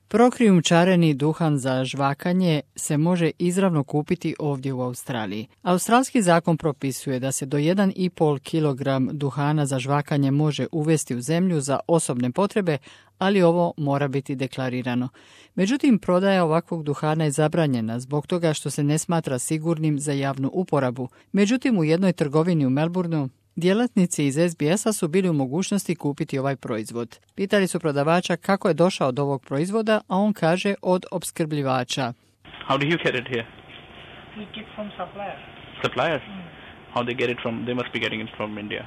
Prokrijumčareni duhan za žvakanje se može izravno kupiti ovdje u Australiji. Australski zakon propisuje da se do 1,5 kg duhana za žvakanje može uvesti u zemlju za osobne potrebe, ali ovo mora biti deklarirano. Međutim, prodaja ovakvog duhana je zabranjena zbog toga što se ne smatra sigurnim za javnu uporabu. Međutim, u jednoj trgovini u Melbourneu djelatnici iz SBS-a su bili u mogućnosti kupiti ovaj proizvod. Pitali su prodavača kako je došao do ovog proizvoda, a on kaže od opskrbljivača. How do you get it here? We get from suppliers. Suppliers? How they get it from? They must be getting it from India.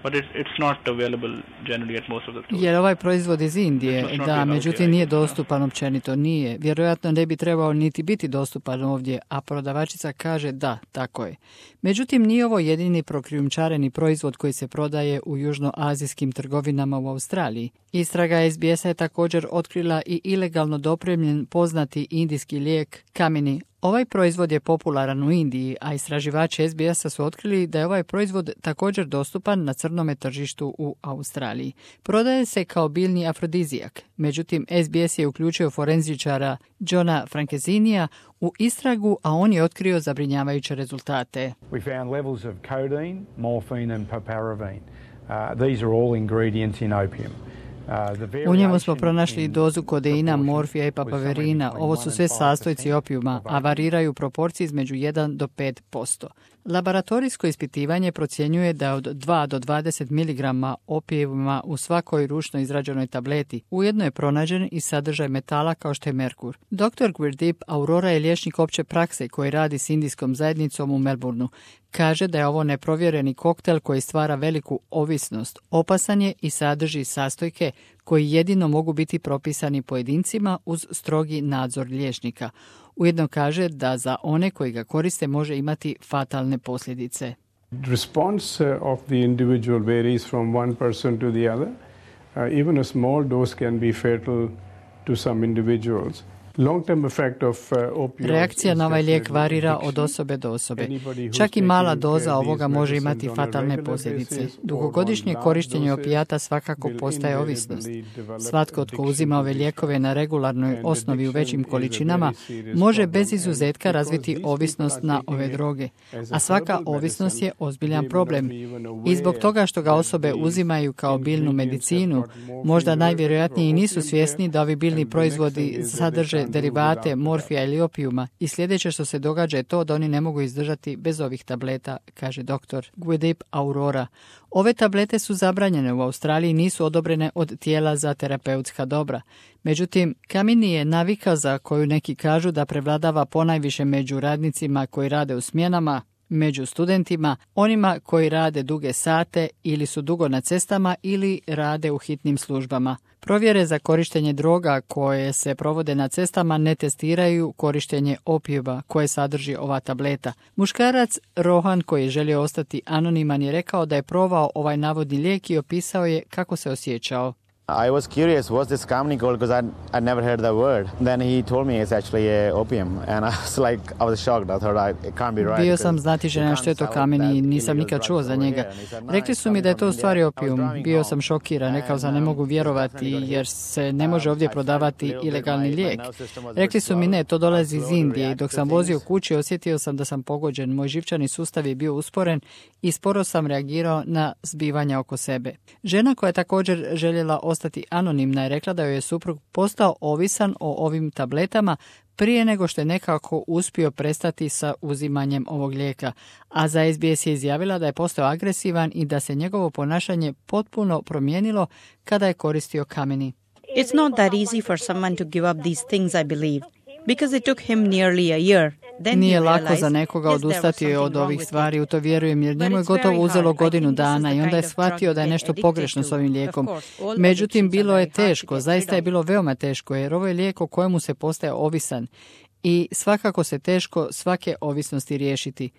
But it's not available generally at most of the stores. Jer ovaj proizvod iz Indije, da, međutim nije dostupan općenito, nije. Vjerojatno ne bi trebao niti biti dostupan ovdje, a prodavačica kaže da, tako je. Međutim, nije ovo jedini prokrijumčareni proizvod koji se prodaje u južnoazijskim trgovinama u Australiji. Istraga SBS-a je također otkrila i ilegalno dopremljen poznati indijski lijek Kamini. Ovaj proizvod je popularan u Indiji, a istraživači SBS-a su otkrili da je ovaj proizvod također dostupan na crnome tržištu u Australiji. Prodaje se kao biljni afrodizijak. Međutim, SBS je uključio forenzičara Johna Frankesinija u istragu, a on je otkrio zabrinjavajuće rezultate. We found levels of codeine, morphine and paparazine. These are all ingredients in opium. U njemu smo pronašli dozu kodeina, morfija i papaverina. Ovo su sve sastojci opijuma, a variraju u proporciji između 1 do 5%. Laboratorijsko ispitivanje procjenjuje da od 2 do 20 mg opijuma u svakoj ručno izrađenoj tableti ujedno je pronađen i sadržaj metala kao što je merkur. Dr. Gurdeep Aurora je liječnik opće prakse koji radi s indijskom zajednicom u Melbourneu. Kaže da je ovo neprovjereni koktel koji stvara veliku ovisnost. Opasan je i sadrži sastojke koji jedino mogu biti propisani pojedincima uz strogi nadzor liječnika. Ujedno kaže da za one koji ga koriste može imati fatalne posljedice. Response of the individual varies from one person to the other. Even a small dose can be fatal to some individuals. Reakcija na ovaj lijek varira od osobe do osobe. Čak i mala doza ovoga može imati fatalne posljedice. Dugogodišnje korištenje opijata svakako postaje ovisnost. Svatko tko uzima ove lijekove na regularnoj osnovi u većim količinama može bez izuzetka razviti ovisnost na ove droge. A svaka ovisnost je ozbiljan problem. I zbog toga što ga osobe uzimaju kao biljnu medicinu, možda najvjerojatnije i nisu svjesni da ovi biljni proizvodi sadrže derivate morfija ili opijuma i sljedeće što se događa je to da oni ne mogu izdržati bez ovih tableta, kaže dr. Gurdeep Aurora. Ove tablete su zabranjene u Australiji i nisu odobrene od tijela za terapeutska dobra. Međutim, Kamini je navika za koju neki kažu da prevladava ponajviše među radnicima koji rade u smjenama, među studentima, onima koji rade duge sate ili su dugo na cestama ili rade u hitnim službama. Provjere za korištenje droga koje se provode na cestama ne testiraju korištenje opijuma koje sadrži ova tableta. Muškarac Rohan koji je želio ostati anoniman je rekao da je probao ovaj navodni lijek i opisao je kako se osjećao. I was curious, what's this Kamini called, because I'd never heard that word. Then he told me it's actually opium, and I was shocked. I thought it can't be right. Bio sam znatiželjan što je to Kamini i nisam nikad čuo za njega. Rekli su mi da je to u stvari opijum. Bio sam šokiran, rekao sam ne mogu vjerovati jer se ne može ovdje prodavati ilegalni lijek. Rekli su mi ne, to dolazi iz Indije i dok sam vozio kući osjetio sam da sam pogođen. Moj živčani sustav je bio usporen i sporo sam reagirao na zbivanja oko sebe. Žena koja je također željela ostati anonimna je rekla da joj je suprug postao ovisan o ovim tabletama prije nego što je nekako uspio prestati sa uzimanjem ovog lijeka, a za SBS je izjavila da je postao agresivan i da se njegovo ponašanje potpuno promijenilo kada je koristio Kamini. It's not that easy for someone to give up these things, I believe, because it took him nearly a year. Nije lako za nekoga odustati od ovih stvari, u to vjerujem, jer njemu je gotovo uzelo godinu dana i onda je shvatio da je nešto pogrešno s ovim lijekom. Međutim, bilo je teško, zaista je bilo veoma teško, jer ovo je lijek o kojemu se postaje ovisan i svakako se teško svake ovisnosti riješiti.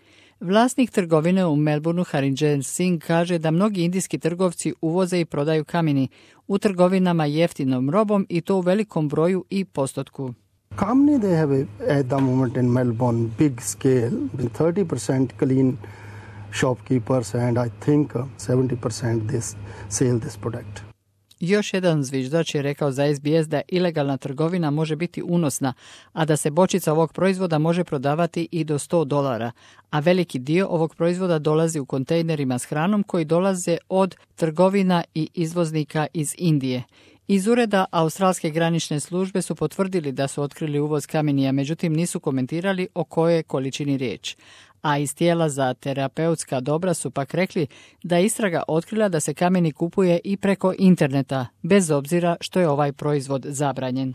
Vlasnik trgovine u Melbourneu, Harinjan Singh, kaže da mnogi indijski trgovci uvoze i prodaju Kamini u trgovinama jeftinom robom i to u velikom broju i postotku. Kamini, they have at the moment in Melbourne big scale, 30% clean shopkeepers and I think 70% this sell this product. Još jedan zviždač je rekao za SBS da ilegalna trgovina može biti unosna, a da se bočica ovog proizvoda može prodavati i do $100, a veliki dio ovog proizvoda dolazi u kontejnerima s hranom koji dolaze od trgovina i izvoznika iz Indije. Iz ureda Australske granične službe su potvrdili da su otkrili uvoz kamenija, međutim nisu komentirali o kojoj količini riječ. A iz tijela za terapeutska dobra su pak rekli da je istraga otkrila da se kameni kupuje i preko interneta, bez obzira što je ovaj proizvod zabranjen.